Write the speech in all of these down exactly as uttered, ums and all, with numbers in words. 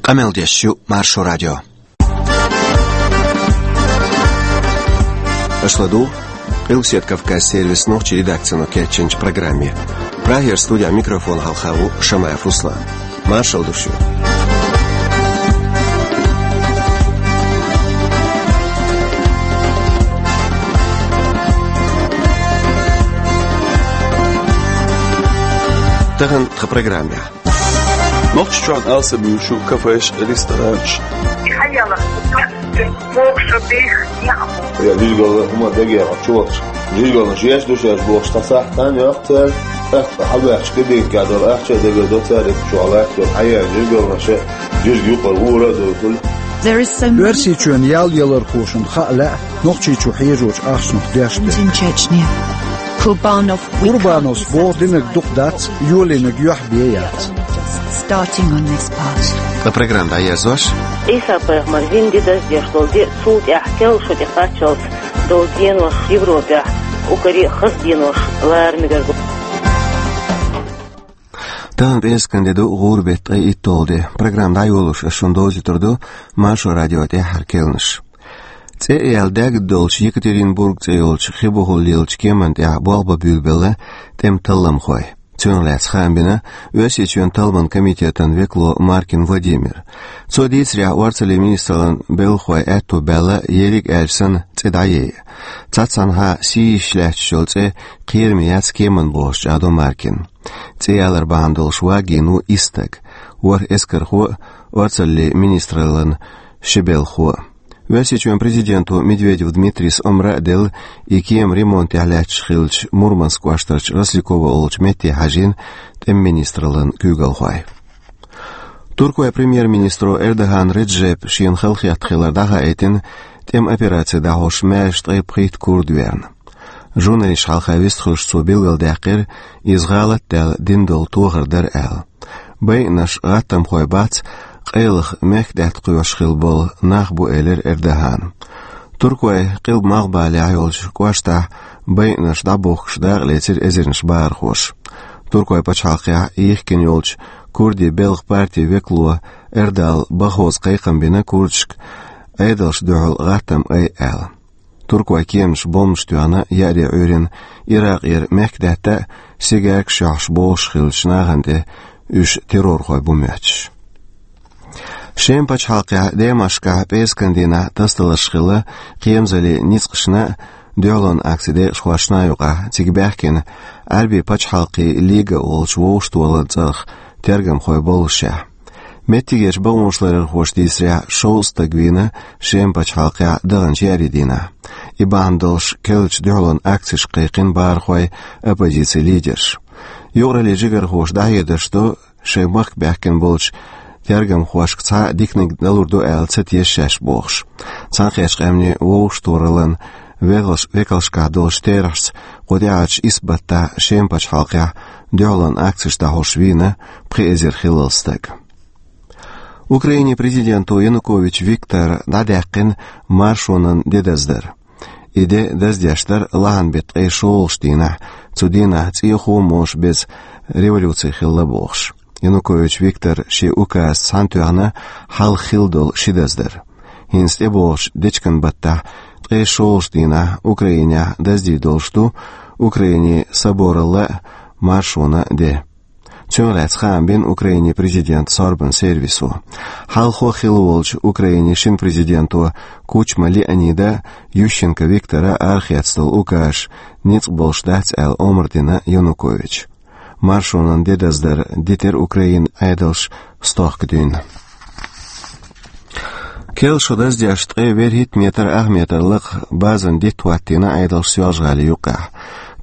Къамел деш ю Маршо радио. Аша ладугӀу Къилбаседа Кавказ сервисан нохчийн редакцино кечйинчу программе. Прагера студехь микрофон хьалха ву Шамаев Руслан. Маршалла ду шуьга. Тахана тхан программехь. Нохчийчохь алсам ю кафеш, ресторанаш. Хьаяла, бокша бих, я. Я, жижигал хӀума дагех чувахча. Жижигалнаш еш ду шаьш бохуш, цхьа сахьтан йоккху цара. ТӀаккха хьабаьхча кабинка долу ахча а дагар до цара, итт чохь латтор. Хьаяла жижигалнаша, жижиг юкъара ура а дуьйхула. Оьрсийчоьнан ял ялархошна хаа лаьа Нохчийчу хьежочу ахчанах деш дерг. Курбановс боху динарг дукха дац, йолийнарг юьхь бен яц. Starting on this part. Ткъа программа дӀаерзош. Ӏийса-пайхамар вина де даздеш долу де, цул тӀаьхьа керла шо тӀе кхаччалц долу денош Европехь, укаре хаза денош лара мегар ду. Тахана пӀераскан де ду, гӀуран беттан ткъе итталгӀа де. Программа дӀайолош ас шуна довзуьйтур ду Маршо радион тӀаьххьара керланаш. ЦӀе а яьлла даьгна долчу Екатеринбург цӀе йолчу хи бухахула лелачу кеманна тӀехь болх бан буьйлабелла тӀеман талламхой. Цунах лаьцна хаам бина Оьрсийчоьнан талламан комитетан векало Маркин Владимира. Цо дийцарехь, орцаллин министраллан белхахой аьтто баьлла, ерриг а аьлча санна, цӀе дӀаяйа. Цхьаццанхьа сий йиш лаьтташ йолу цӀе кхераме яц кеманна бохуш чӀагӀдо Маркина. ЦӀе ялар бахьана долуш вагийна ву исс стаг: ворхӀ эскархо а, орцаллин министраллан ши белхахо а. Оьрсийчоьнан президенто Медведев Дмитрийс омра а делла, и кема ремонтехь лаьтташ хиллачу Мурманск кӀоштарчу Росликово олучу метте хьажийна тӀеман министраллан куьйгалхой. Туркойн премьер-министро Эрдоган Реджепа шена халахетта хилар дӀахаийтина тӀеман операци дӀахьош маьрша ткъе пхийтта курд верна. Журналисташна хьалха вистхуьлуш цо билгалдаьккхира, иза гӀалат а даьлла дина долу тохар дара аьлла. Байинарш гӀаттамхой бац, къайлаха мехкдаьтта кхоьруш хилла болу нах бу, элира Эрдогана. Туркойн къилба-малхбалехь йолчу кӀоштахь байинарш дӀабохкуш дакъалецира эзарнаш бахархоша. Туркойн пачхьалкхехь йихкина йолчу курдийн белхан партин векало Эрдал Бахоза кхайкхам бина курдашка Ӏедалшна дуьхьал гӀаттам айа аьлла. Туркойн кеманаша бомбанаш тоьхна еаре Ӏуьйрина Иракъера мехкдаьтта а, сигаркаш йохьуш богӀуш хиллачу нахана тӀе уьш террорхой бу моьттуш. Шеман пачхьалкхехь Дамаскехь пӀераскан дийнахь тасадаларш хилла кхерамзаллин ницкъашна а, дуьхьалонан акцин декъашхошна а юкъахь, цига баьхкина Ӏаьрбийн пачхьалкхийн лига олучу вовшахтохараллин цӀарах тергамхой боллушехь. Меттигерчу бакъонашларъярхоша дийцарехь, шовзткъа стаг вийна Шеман пачхьалкхехь даханчу еарин дийнахь. И бахьана долуш керлачу дуьхьалонан акцешка кхайкхина бахархой, оппозицин лидерш. Юкъараллин жигархоша дӀахьедарш до, шайн махка баьхкина болчу тергамхошка цхьа а диканиг далур ду аьлла ца теша шаьш бохуш. Цхьаьнакхеттачу къаьмнийн вовшахтохараллин векалш-, векалшкахь долчу терахьашца кху тӀаьхьарчу исс баттахь Шеман пачхьалкхехь дуьхьалонан акцеш дӀахьош вийна пхи эзар хиллал стаг. Украинин президенто Янукович Виктора дӀадаьккхина маршонан де даздар. И де даздеш дара лахьан беттан ткъе шолгӀачу дийнахь, цу дийнахь цӀехо а моша беза революци хилла бохуш. Янукович Виктора шен указца цхьаьнатоьхна хьалха хилла долу ши даздар. ХӀинца тӀебогӀучу дечкен баттахь, ткъе шолгӀачу дийнахь, Украинехь даздийр долуш ду Украинин соборалла а, маршонан а де. Цунах лаьцна хаам бина Украинин президентан сорбанан сервисо. Хьалхо хилла волчу Украинин шина президенто Кучма Леонида, Ющенко Виктора арахецна долу указаш ницкъ болуш дац аьлла омра дина Януковича. Маршонан де даздар дитира Украинан Ӏедалша стохка дуьйна. Керла шо даздеш ткъе вуьрхӀитта метр ах метр лакха базан дитт хӀоттийна Ӏедалша Соьлжа-ГӀалин юккъехь.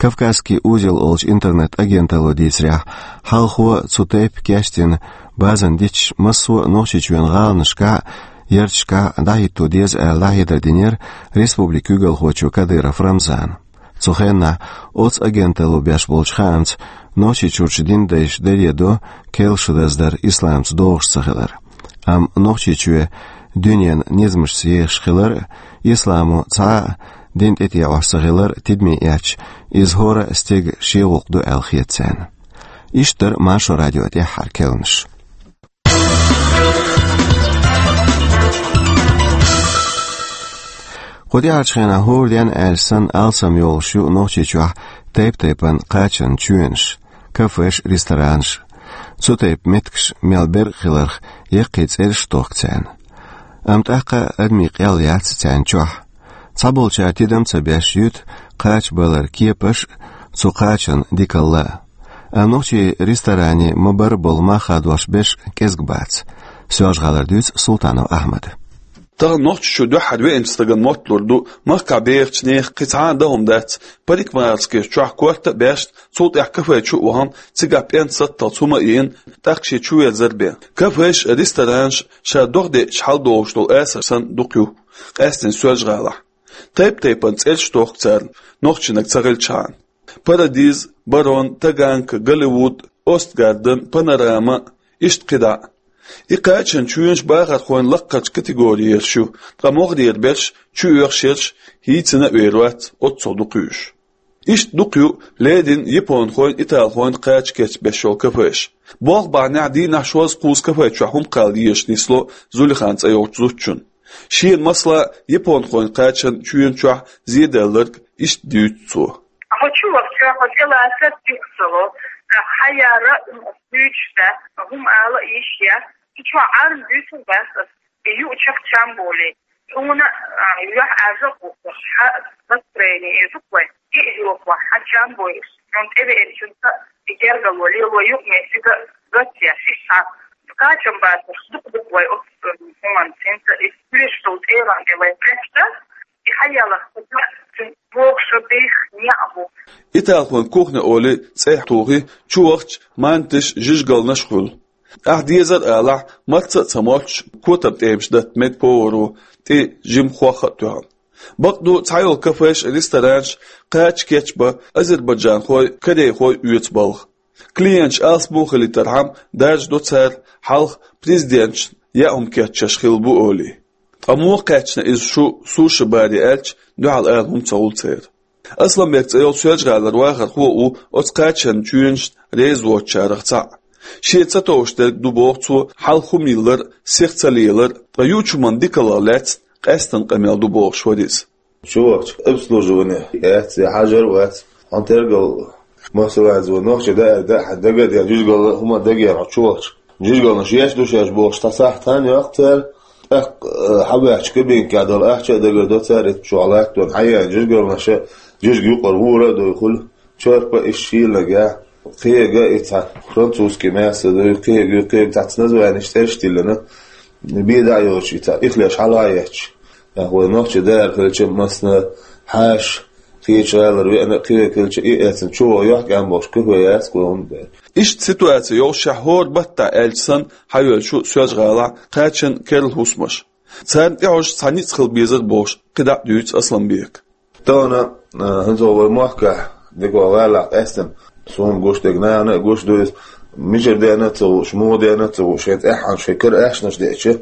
«Кавказский узел» олучу интернет-агенталло дийцарехь, хьалхо цу тайпа кечдина базан дитташ массо а Нохчийчоьнан гӀаланашкахь а, ярташкахь а дӀахӀитто деза аьлла дӀахьедар динера республикан куьйгалхочо Кадыров Рамзана. Цу хенахь оцу агенталло беш болчу хаамца, Нохчийчуьрчу динан дайша даре до керла шо даздар исламца догӀуш ца хилар. Амма Нохчийчоь дуьненан низамашца ехаш хилар а, исламо цхьа а дин тӀетеӀош ца хилар а тидаме эцча, иза хӀора а стеган шен гӀуллакх ду аьлла хета царна. Иштта дара Маршо радион тӀаьххьара керланаш. Кху тӀаьхьарчу хенахь хӀора ден аьлча санна алсам йолуш ю Нохчийчохь тайп-тайпана кхачанан чоьнаш, кафеш, ресторанаш. Цу тайпа меттигаш мел бер а хиларх, яккхий цӀераш а тохку царна. Амма тӀаккха а адамийн къел яц царна чохь. Цхьаболчара тидам а ца беш юьту кхача баларан кепаш а, цу кхачанан дикалла а. Амма нохчийн ресторанийн ма-барра болу мах хадош берш кӀезиг бац. Соьлжа-ГӀалара дуьйцу Султанов Ахьмада. Тахана Нохчийчу дуьххьара веанчу стагана мотталур ду, махкахь бехачу нехан кхин цхьа а дан хӀума дац, парикмахерскеш чохь корта а баьшна, цул тӀаьхьа кафе чу а вахана, цигахь пӀенца сатталц хӀума а йина, тӀаккха шен чуверзар а бен. Кафеш а, ресторанаш а ша догӀа деъча хьаладогӀуш долу асар санна дукха ю, къаьсттина Соьлжа-ГӀалахь. Тайп-тайпана цӀераш а тохку царна, нохчийнаг ца хилчхьана. Парадиз, Барон, Таганка, Голливуд, Остгарден, Панорама, иштта кхидӀа а. И кхачанан чоьнаш бахархойн лаккхарчу категорера ю, ткъа могӀарера берш, чу оьхуш ерш хӀинца а вер вац, оццул дукха ю уьш. Иштта дукха ю леррина японхойн, италхойн кхача кечбеш йолу кафеш. Болх бахьанехь дийнахь шозза-кхузза кафе чохь хӀума кхалла езаш нисло Зулихан цӀе йолчу зудчунна. Шена, масала, японхойн кхачанан чоьна чохь зеделларг иштта дуьйцу цо. Хьо чу вахча, хьо тӀелацар тӀе ца ло, хьан яра а хӀума дуьйцуш дац, хӀума ала а йиш яц, и чохь Ӏарна дуьйцур дац ас, и юучех чам болий. Хьуна, а, юьхь Ӏаьржа а гӀуттуш, хьан настроение эр ду-кх вай, и а йохуш, хьан чам бойуш, хьуна тӀевеанчуьнца и гергало лело юкъаметтиг а гатъеш, иштта хьан кхачам бацарш дукха ду-кх вай оцу хӀуманца, хӀинца и кхоьруш долу цӀеран тӀе вай кхетта, и хьаяларх кхуза цуьнан бохуш а беха неӀ а бу. Италхойн кухня олий цӀе тухий, чу вахча, мантиш, жижигалнаш а хуьлу. Ахь дезар а алахь, марца а ца моттуш, котам тӀемаш датта мега поваро, тӀе жима хох а тоьхна. Бакъду, цхьайолу кафеш а, ресторанаш а кхача кечбан азербайджанхой, корейхой оьцу балха. Клиенташ алсам хилийтархьама, даржадо цара хьалха президенташна яа хӀума кечъеш хилла бу олий. Ткъа муха кхаьчна иза шу суши-баре аьлча, дуьхьал ала хӀума ца хуьлу церан. Асланбек цӀе йолу Соьлжа-ГӀалара вахархо а ву оцу кхачанан чоьнашна реза воцучарах цхьаъ. Шен ца товш дерг ду боху цо хьалха хӀума йиллар а, сиха ца лелар а, ткъа юучу хӀуманна дикаллах лаьцна къаьсттина къамел ду бохуш вара иза. Чу вахча обслуживание яц, я хьажар а вац. Хьуна тергал, масала, вайн нохчи даа, даа, хьан дага а ден, жижигалла хӀума дагера хьо чу вахча. Жижигалнаш еш ду шаьш бохуш, цхьа сахьт хан йоккху цара, тӀаккха, э, хьан ваьхча кабинкехь долу ахча а дагардо цара, и чохь латтон хьан яьлла жижигалнаш а, жижиг юкъара гӀура а дой хуьлу, чорпа а, иштта шийла нагахь, кхега а, и цхьа французский мясо а дой, кхега, кхега цхьацца названеш цӀераш тиллина, бен дӀа а йоцуш, и цхьа ихлеш хьала а етташ. Нах вай нохчи дара хилча, массана хьаша, кхечу гӀалара веана а кхеве хилча, и эцна чу ваха йохкаьм бохуш, кафе яц кху хӀунда дара. Иштта ситуаци йолушехь, хӀора баттахь аьлча санна, хьайоьллуш ю Соьлжа-ГӀалахь кхачанан керла хӀусамаш. Царна тӀехьожуш цхьа ницкъ хила безар бохуш, кхидӀа а дуьйцу Асланбека. Тахана, а, хӀинца вай махкахь, дика вай гӀалахь къаьстина, суна гуш дерг нахана а гуш ду иза, мичара деана а ца хууш, муха деана а ца хууш, шайн тӀаьххьана шайн кара аьшнаш деача.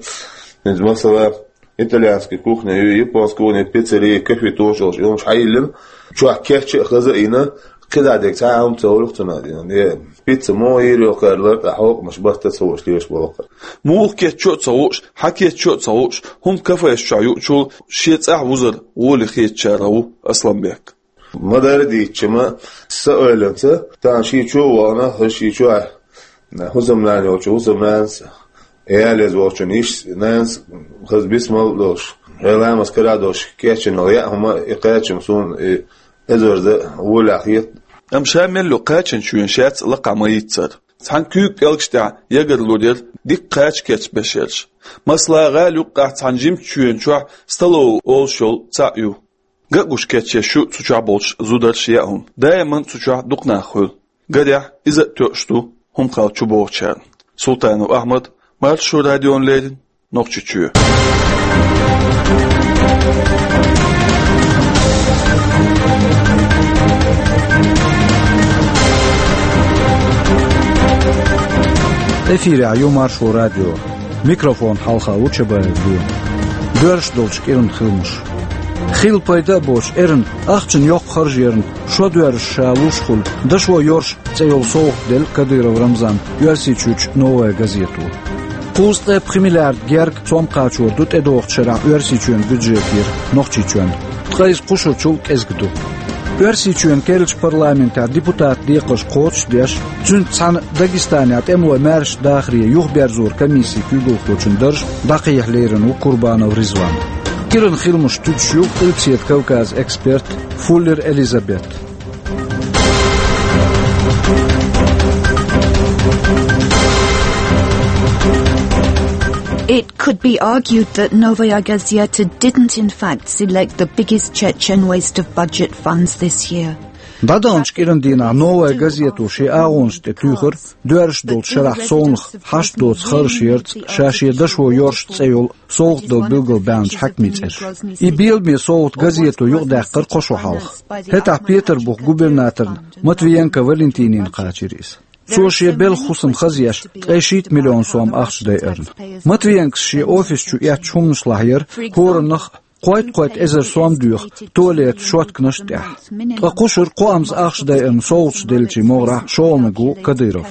ХӀинца, масала, итальянский кухня ю, японский кухня, пиццерия, кафе тохуш йолуш, и хӀумаш хьайиллина, чохь кечъян а хаза а йина, кхидӀа дерг цхьа а хӀума ца хуьлу цунах. Е пицца муха йийр йолу кхара лар, ткъа хьокхамаш барт а ца хууш лелаш болу кхара. Муха кечъян а ца хууш, хьан кечъян а ца хууш, хӀума кафеш чохь юучул шен цӀахь вузар гӀоле хетачарах ву Асланбек. Ма-дарра дийцча, ма са ойланца, тахана шен чу а вахана, хӀара шен чохь хӀусамнана йолчу хӀусамнанас, ялеза волчун йиш нанас хаза бисмал а долуш, хье ламаз кара а долуш, кечйина яа хӀума, и кхачам суна и эзарза а волахь хета. Амма ша мел йолу кхачанан чоьнаш яц лакхахь ма-йийццара. Цхьана куьйга пӀелгаш тӀехь ягар лур яра дика кхача кечбеш ерш. Масала, гӀала юккъехь цхьана жимачу чоьна чохь столовый олуш йолу цхьаъ ю. Ган а гуш кечъеш ю цу чохь болчу зударша яа хӀума. Даиман цу чохь дукха нах хуьлу. Гарехь, иза а тоьуш ду хӀума кхалла чубогӀучарна. Султанов Ахьмад, Маршо радиона леррина, Нохчийчоь. Эфирехь ю Маршо радио. Микрофон хьалха ву Чабаев Лема. Доьрзуш долчу кӀиранан хиламаш. Хилла пайда а боцуш, эрна ахчанан йоккха харж ярна, шо доьрзуш ша луш хуьлу, дашо йорш цӀе йолу совгӀат делла Кадыров Рамзанна Оьрсийчуьрчу «Новая газето». Кхузткъе пхи миллиард герга сом кхачор ду тӀедогӀучу шарахь Оьрсийчоьнан бюджетера Нохчийчоьнна. Ткъа иза кхушарчул кӀезиг ду. Оьрсийчоьнан керлачу парламентехь депутатан декхарш кхочушдеш, цуьнца цхьаьна Дагестанехь тӀемалойн маьрша дахаре юхаберзоран комиссин куьйгалхочун дарж дӀакхехьа лерина ву Курбанов Ризван. Киран хиламаш туьдуш ю Къилбаседа Кавказан эксперт Фуллер Элизабет. It could be argued that Novaya Gazeta didn't, in fact, select the biggest Chechen waste of budget funds this year. ДӀадаханчу кӀиран дийнахь «Новая газета» шен агӀонаш тӀе туьйхира доьрзуш долчу шарахь совнаха хьашт доцу харжаш ярца ша шен дашо йорш цӀе йолу совгӀат дала билгалбаьхначу хьаькамийн цӀераш. И беламе совгӀат газето юкъадаьккхира кхо шо хьалха. ХӀетахь Петарбухан губернаторна Матвиенко Валентинина кхачийра иза. Цо шен белхан хӀусам хазъеш, ткъе шийтта миллион сом ахча дайарна. Матвиенкос шен офис чу эцначу хӀуманашлахь яра хӀораннах кхойтта-кхойтта эзар сом доьху туалетан шотканаш а тӀехь. Ткъа кхушара кхоамза ахча дайарна совгӀаташ деллачийн могӀарехь шолгӀаниг ву Кадыров.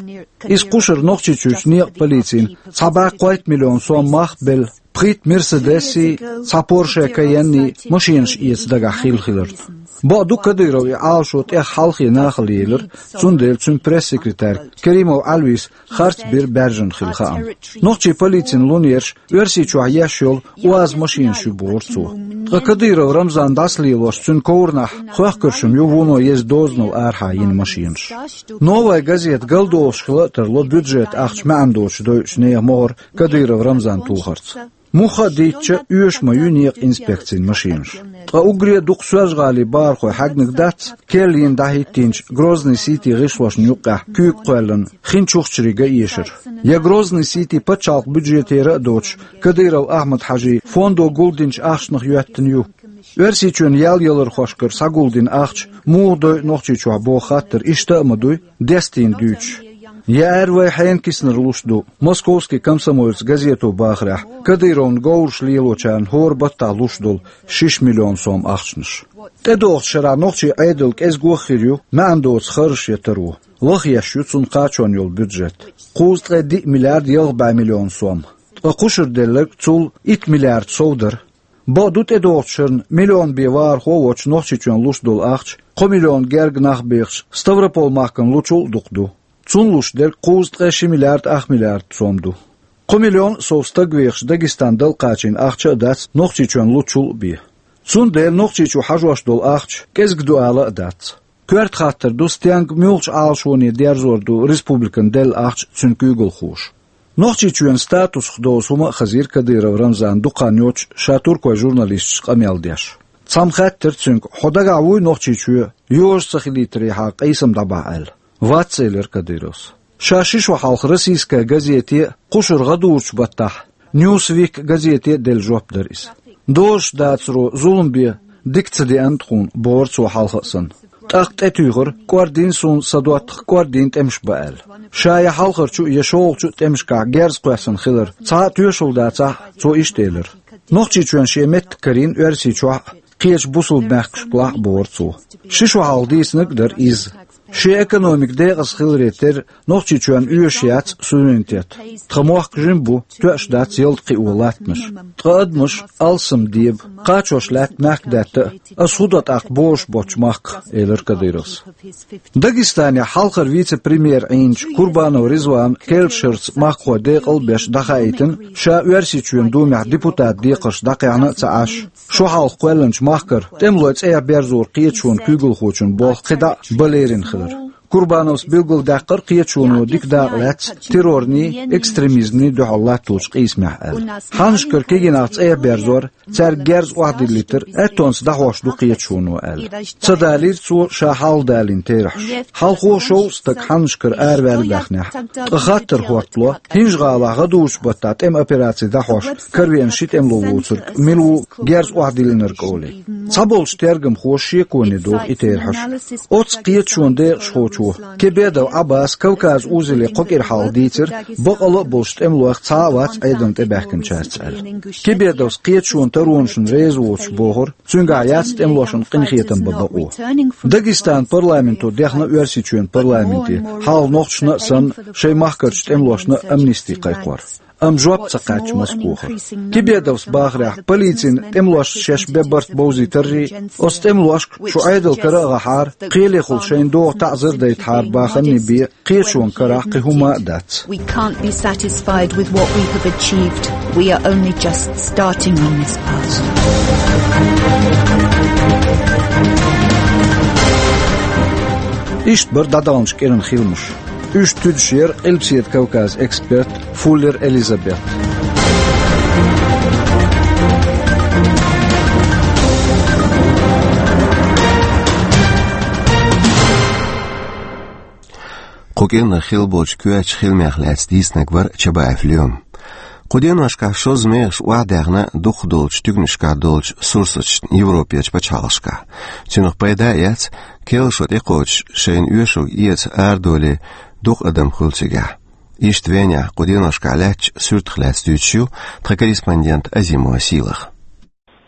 Иза кхушара Нохчийчуьрчу некъан полицина цхьа бӀе кхойтта миллион сом мах а белла, пхийтта Мерседесий, цхьа Порше Кайенний машенаш эца дагахь хилла хиларна. Бакъду, Кадыров и Ӏалашо тӀех хьалхе нахала елира, цундела цуьнан пресс-секретарь Керимов Ӏалвис харц бира баьржина хилла хаам. Нохчийн полицина лунераш Оьрсийчохь еш йолу УАЗ машенаш ю бохура цо. Ткъа Кадыров Рамзан дӀасалелош цуьнан ковранахь хоьхкаршна ю вуно еза дозанал арахьа йина машенаш. «Новая газета» галдолуш хила а тарло бюджетан ахча маьӀна доцуш дойучу нехан могӀар Кадыров Рамзан тулхарца. Муха а дийцча, оьшуш ма ю некъан инспекцин машенаш. Ткъа уггаре а дукха Соьлжа-ГӀалин бахархой хьаьгнарг дац, керланна дӀахӀиттийначу Грозный-Сити гӀишлошна юккъехь куьйга кхоьллина хин чухчаре га эшар. Я Грозный-Сити пачхьалкхан бюджетера а доцуш, Кадыров Ахьмад-Хьажин фондо гулдинчу ахчанах йоьттина ю. Оьрсийчоьнан ял ялархошкара схьагулдина ахча муха дойу Нохчийчохь боху хаттар иштта а ма дуй, дестийна дуьйцуш. Я аьрра вай хьенан киснара луш ду, «Московский комсомолец» газето бахарехь, Кадыровна говраш лелочарна хӀора баттахь луш долу шиш миллион сом ахчанаш. ТӀедогӀучу шарахь нохчийн Ӏедал кӀезиг хир ю маьӀна доцу харжаш ян таро. Лахъеш ю цунна кхачорна йолу бюджет. Кхузткъе диъ миллиард ялх бӀе миллион сом. Ткъа кхушара делларг цул итт миллиард сов дара. Бакъду, тӀедогӀучу шарна миллион бен вахархо а воцуш Нохчийчоьнна луш долу ахча, кхо миллион герга нах бехаш Ставрополь-махкана лучул а дукха ду. Цунна луш дерг кхузткъе ши миллиард ах миллиард сом ду. Кхо миллион а сов стаг вехаш Дагестан дала кхачийна ахча а дац Нохчийчоьнна лучул а бен. Цундела Нохчийчу хьажош долу ахча кӀезиг ду ала а дац. Коьрта хаттар ду, стенга муьлхачу Ӏалашоне дерзор ду республикана делла ахча цуьнан куьйгалхоша. Нохчийчоьнан статусах доцу хӀума а хазийра Кадыров Рамзана дукха хан йоццуш ша туркойн журналисташца къамел деш. Цхьамма хаьттира цуьнга: «Хьо дагахь вуй Нохчийчоь йожа ца хилийтарехьа къийсам дӀабахьа?» — аьлла. «Вац», — элира Кадыровс. Ша ши шо хьалха «Российская газете» а, кхушара гӀадужучу баттахь «Ньюсвик» газете а делла жоп дара иза. Дозуш дацаро зулам бен дика ца деана тхуна, бохура цо хьалха а санна. ТӀаккха тӀетуьйхира: «КӀордийна суна сан доттагӀа, кӀордийна тӀемаш бан», — аьлла. Ша я хьалхарчу, я шолгӀачу тӀемашкахь герз кхоьссина хилар цхьа а тоьшалла дацахь а, цо иштта элира: «Нохчийчоьнна шен меттиг карийна Оьрсийчохь а, кхечу бусалба мехкашкахь а», — бохура цо. Ши шо хьалха дийцинарг а дара иза. Шен экономика декъаза хиларе терра, Нохчийчоьнна оьшуш яц суверенитет. Тхан мохк жима бу, тоьаш дац ялта кхио латтанаш. Ткъа адамаш алсам деба, кхачош лаьтта мехкадаьтта а, ас хӀун до тӀаккха божуш боцчу махках, — элира Кадыровс. Дагестанехь хьалхара вице-премьер Ӏийначу Курбанов Ризвана керлачу шарца махкахой декъал а беш дӀахаийтина, ша Оьрсийчоьнан Думехь депутатан декхарш дӀакхехьна а ца Ӏаш, шо хьалха кхоьллинчу махкара тӀемалойн цӀеяхь берзоран кхеташонан куьйгалхочун болх кхидӀа а бан лерина хилар. Курбановс билгалдаьккхира кхеташоно дика дакъа лаьцна террорний, экстремизмний дуьхьал латточу къийсамехь аьлла. Хьаннашкара кегийнах цӀеяхь берзор, цаьрга герз охьадиллийтар аьттонца дӀахьош ду кхеташоно аьлла. Ца далийра цо ша хьалха далийна терахьаш. Хьалхо шовзткъа стаг хьаннашкара араваьлла баьхнехь. Ткъа хаттар хӀоттало, ХӀинжа-ГӀалахь гӀадужучу баттахь тӀеман операци дӀахьош каравеана ши тӀемало воцург мила ву герз охьадиллинарг олий. Цхьаболчу тергамхоша шеконе доху и терахьаш. Оццу кхеташонан декъашхочо Кебедов Ӏаббаса Кавказ узеле кхо кӀира хьалха дийцира, бакъала а болуш тӀемалойх цхьа а вац Ӏедална тӀебаьхкинчаьрца аьлла. Кебедовс кхеташонан таронашна реза воцуш бохура, цуьнгахь яц тӀемалошна къинхетам бан бакъо. Дагестанан парламенто дехна Оьрсийчоьнан парламенте, хьалха нохчашна а санна, шайн махкарчу тӀемалошна а амнисти кхайкхор. Амма жоп ца кхаьчча маца кхохар. Тибедовс бахарехь, полицина тӀемалошца шаьш бен барт бовзийтарий, оцу тӀемалошка шу Ӏедал кара а гӀахьара, кхелехула шайна догӀу таӀзар дайтахьара баханний бен, кхечунна карахь кхин хӀума а дац. We can't be satisfied with what we have achieved. We are only just starting on this path. Иштта бара дӀадаханчу кӀиран хиламаш. Уьш туьдуш яра Къилбаседа Кавказан эксперт Фуллер Элизабет. Кху кӀирнах хилла болчу коьртачу хиламех лаьцна дийцинарг вара Чабаев Лоьма. Кху деношкахь шозза мехаш охьадаьхна дукхах долчу туьканашкахь долчу сурсаташна Европерчу пачхьалкхашкахь. Цунах пайда а эцна, керла шо тӀекхочуш, шайна оьшург эца арадолий дукха адам хуьлу цигахь. Иштта Венехь кху деношкахь лаьттачу суьртах лаьцна дуьйцуш ю тхан корреспондент Азимова Сийлаха.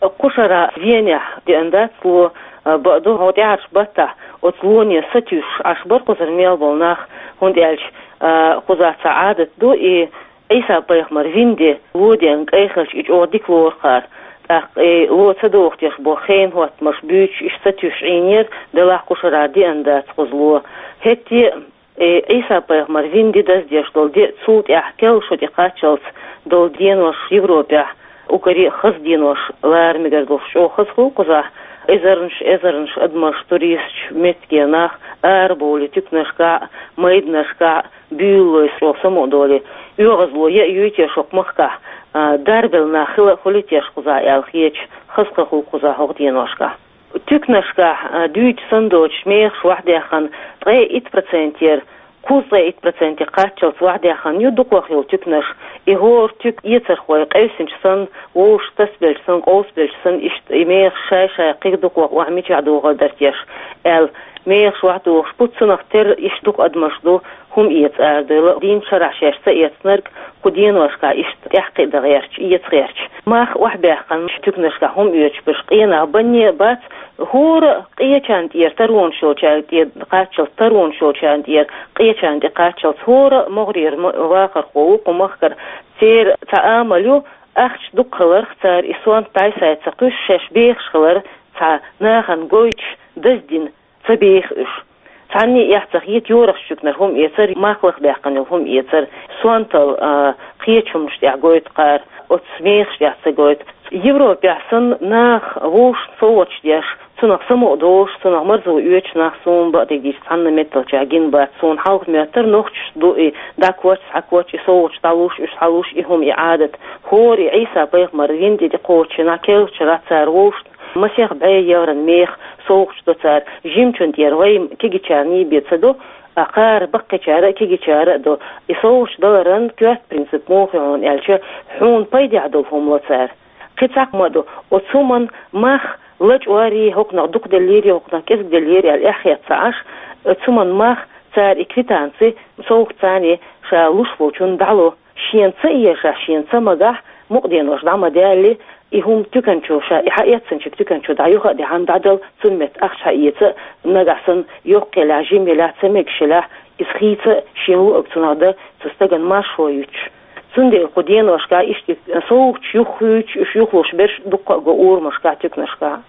Кху шарахь Венехь деана дац ло, а, бакъду, хӀокху тӀаьхьарчу баттахь оцу лоне сатуьйсуш Ӏаш бара кхузара мел болу нах, хӀунда аьлча, а, кхузахь цхьа Ӏадат ду, и Ӏийса-пайхамар вина де ло деана кӀайхилча и чӀогӀа дика лору кхара. ТӀаккха и ло ца дохуш деш болу хенан хӀоттамаш буьйцуш, иштта сатуьйсуш Ӏийнера, делахь кху шарахь деана дац кхуза ло. ХӀетте а, И Ӏийса-пайхамар вина де даздеш долу де цул тӀаьхьа керла шо тӀе кхаччалц долу денош Европехь, уггаре а хаза денош лара мегар долуш, чӀогӀа хаза хуьлу кхузахь, эзарнаш, эзарнаш адамаш, туристаш, меттигера нах арабовлий туьканашкахь а, майданашкахь а, буьйлалой чӀогӀа самукъадолий. ОьгӀазло яа юй теша хӀокху махкахь, а, дарбелла нах хила а хуьлий теша кхузахь аьлла хеташ, хаза хан хуьлу кхузахь хӀокху деношкахь. Туьканашкахь, а, дуьйцу санна доцуш мехаш охьадаьхна ткъе итт процентера, кхузткъе итт проценте кхаччалц охьадаьхна ю дукхах йолу туьканаш. И хӀора туька эцархой къевсинчу санна, вовшашка тасабелча санна, къовсабелча санна, иштта и мехаш шай-шай кхин дукхах охьа мичахь дохур дара теша аьлла, мехаш охьадохуш бу, цунах терра иштта дукха адамаш ду, хӀума эца арадевлла, дийнна шарахь шаьш ца эцнарг, кху деношкахь иштта тӀаьхьакхиа дан гӀерташ, эца гӀерташ. Мах охьабаьккхина туьканашкахь хӀума оьцуш берш къен нах банне а бац, хӀора а къечарна тӀера таронаш йолчарна тӀе кхаччалц, таронаш йолчарна тӀера къечарна тӀе кхаччалц, хӀора а могӀарера ма-, вахархо ву кху махкара, церан цхьа амал ю, ахча дукха хиларх, цара и сонта дӀай-схьай ца кхуьссуш, шаьш бехаш хилар, цхьа нахана гойтуш, даздина ца беха уьш. Цхьанне а эхь ца хета йорах чуькнара хӀума эцар, мах лахбаьккхина йолу хӀума эцар, сонтал, а, кхечу хӀуманаш тӀехь гойту кхара, оцу мехаш тӀехь ца гойту. Европехь санна, нах вовшашна совгӀаташ деш, цунах самукъа долуш, цунах марзо оьцуш нах суна бакъдерг дийцича цхьанна метталчохь гина бац. Суна хьалха моьттура, нохчаш ду и дӀакхоччуш, схьакхоччуш, и совгӀаташ дӀалуш, уьш схьалуш, и хӀума, и Ӏадат. ХӀора и Ӏийса-пайхамар вина тӀе тӀекхочучу нах керлачу шарахь цара вовшашна масех бӀе еврон меха совгӀаташ до цара. Жимачун тӀера вай кегийчарний бен ца до, а кхара баккхийчара а, кегийчара а до. И совгӀаташ даларан коьрта принцип муха ю хьуна аьлча, хьуна пайдехь долу хӀума ло цара. Кхин цхьа хӀума а ду, оцу хӀуманна мах лачкъорий, хӀокхунах дукха деллерий, хӀокхунах кӀезиг деллерий аьлла эхь хетта ца Ӏаш, оцу хӀуманна мах цара и квитанци, совгӀат царна ша луш волчунна дӀало. Шена ца эшахь, шена ца магахь, мукъа денош дӀа ма даьлли, и хӀума туьканчо ша и хьаэцначуьнга туьканчо дӀа юха а даьхьна дӀадала, цунна метта ахча хьаэца, нагахь санна йоккха елахь, жима елахь, ца мегаш елахь, иза хийца а, шена луург цунах дан, цу стагана маршо юьтуш. Цундела кху деношкахь иштта совгӀаташ юххуьйтуш, уьш юхалуш берш дуккха а го урамашкахь, туьканашкахь.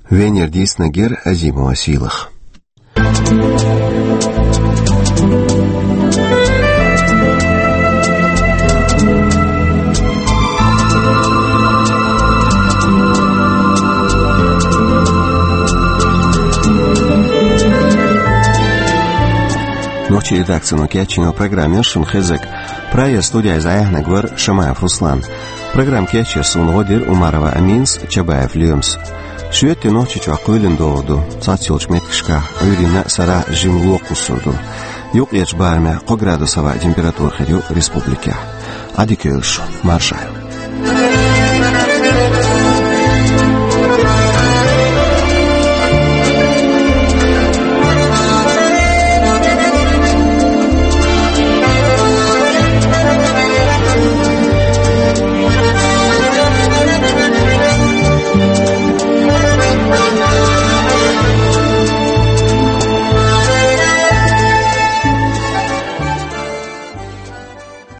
Венера дийцинарг яра Азимова Сийлаха. Нохчийн редакцино кечйина программа яра шуна хезнарг. Прагера студехь иза Ӏехнарг вара Шамаев Руслан. Программа кечъеш суна гӀо дира Умарова Аминас, Чабаев Лоьмас. Шоьтан Нохчийчохь кхоьлина догӀур ду, цхьацца йолчу меттигашкахь Ӏуьйранна а, сарахь а жимма ло кхуссур ду. Юккъерчу барамехь кхо градус хьаваха температура хир ю республикехь. Ӏадика йойла шу, марша Ӏойла.